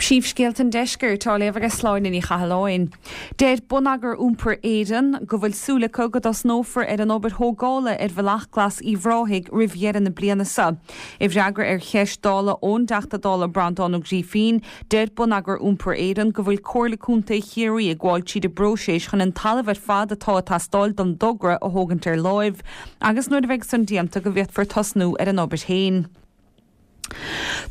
Príomhscéalta an Deiscirt á léamh ag Sláine Ní Chathalláin. Deir Bonneagar Iompair Éireann go bhfuil súil acu go dtosnófar ar an obair thógála ar Bhealach Glas Uíbh Ráthaigh roimh dheireadh na bliana seo. I bhfreagra ar cheist Dála ón dTeachta Dála Breandán Ó Grífín, deir Bonneagar Iompair Éireann go bhfuil Comhairle Contae Chiarraí ag gabháil tríd an bpróiseas chun an talamh ar fad atá ag teastáil don dtogra a thógaint ar láimh agus nuair a bheidh san déanta go bhféadfar tosnú ar an obair féin.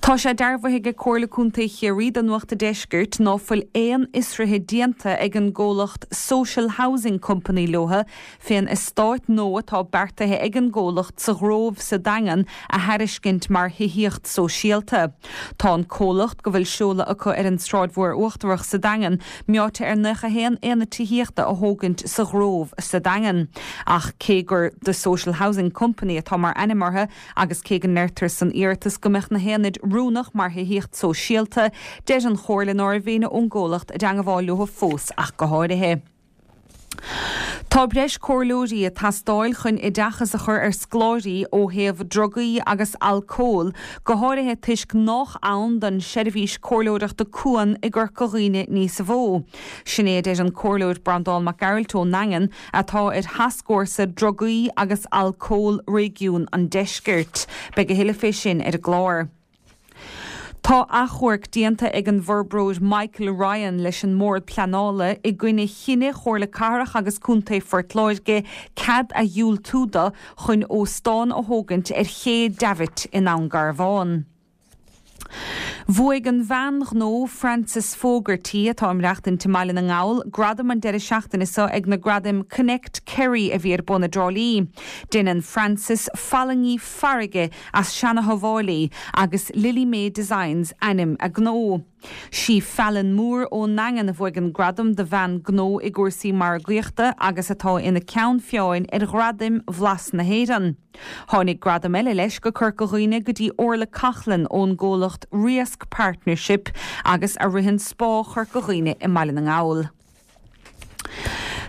Tá sé dearbhaithe ag Comhairle Contae Chiarraí do Nuacht an Deiscirt ná fuil aon fhiosruithe déanta ag an gcomhlacht Social Housing Company leotha fén eastát nua atá beartaithe ag an gcomhlacht sa Ghrove sa Daingean a thairiscint mar thithíocht sóisialta. Tá an comhlacht, go bhfuil seoladh acu ar an Sráid Mhór Uachtarach sa Daingean, meáite ar 91 aonad tithíochta a thógaint sa Ghrove sa Daingean. Ach cé gur The Social Housing Company atá mar ainm orthu, Agus cé go ndeirtear san iarratas go mbeadh na haonaid oiriúnach mar thithíocht sóisialta, deir an Chomhairle ná raibh éinne ón gcomhlacht i dteangabháil leo fós ach go háirithe. Tá breis comhairleoirí ag teastáil chun oideachas a chur ar scoláirí ó thaobh drugaí agus alcóil, go háirithe toisc nách ann don seirbhís comhairleoireachta Cuan i gCorca Dhuibhne níos mó. Sin é a deir an Comhairleoir Breandán Mac Gearailt ón nDaingean, atá ar Thascfhórsa Drugaí agus Alcóil Réigiún an Deiscirt. Beidh a thuilleadh fé sin ar an gclár. Tá achomharc déanta ag an bhforbróir Michael Ryan leis an mBord Pleanála i gcoinne chinneadh Chomhairle Cathrach agus Contae Phort Láirge cead a dhiúltú do chun óstán a thógaint ar Ché Davitt i nDún Garbhán. Bhuaigh an bhean ghnó Frances Fogarty, atá ag maireachtaint i mBaile na nGall, gradam an deireadh seachtaine seo ag na gradaim Connect Kerry a bhí ar bun i dTrá Lí. Déanann Frances fallaingí farraige as seana-thobháilí agus Lily Mae Designs ainm a gnó. Sí Fallon Moore ón nDaingean a bhuaigh an gradam do bhean gnó i gcúrsaí margaíochta agus atá ina ceann feadhain ar Ghradaim Bhlas na hÉireann. Tháinig gradam eile leis go Corca Dhuibhne go dtí Orla Coughlan ón gcomhlacht Riasc Partnership agus a ritheann Spá Chorca Dhuibhne i mBaile na nGall.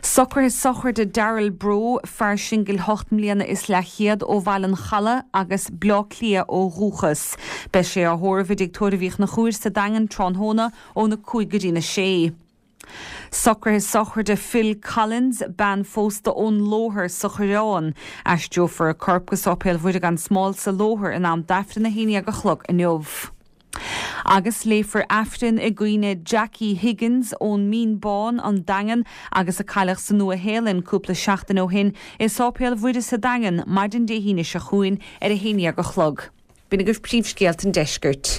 Socruithe sochraide Darrell Broe, fear singil hocht mbliana is leathchéad ó Bhaile an Chalaidh agus Bleá Cliath ó dhúchas. Beidh sé á thórramh i dTigh Tórraimh Uí Chonchúir sa Daingean tráthnóna óna 5 go dtína 6. Socruithe sochraide Phil Collins, bean phósta ón Lóthar sa Choireán. Aistreofar a corp go Sáipéal Mhuire gan Smál sa Lóthar in am d'Aifreann a 11 a chlog inniu. Agus léifear Aifreann i gcuimhne Jackie Higgins ón Mín Bán, An Daingean, agus a cailleadh sa Nua Shéalainn cúpla seachtain ó shin, i Sáipéal Mhuire sa Daingean, maidin Dé hAoine seo chugainn ar a 11 a chlog. B'in agaibh príomhscéalta an deiscirt.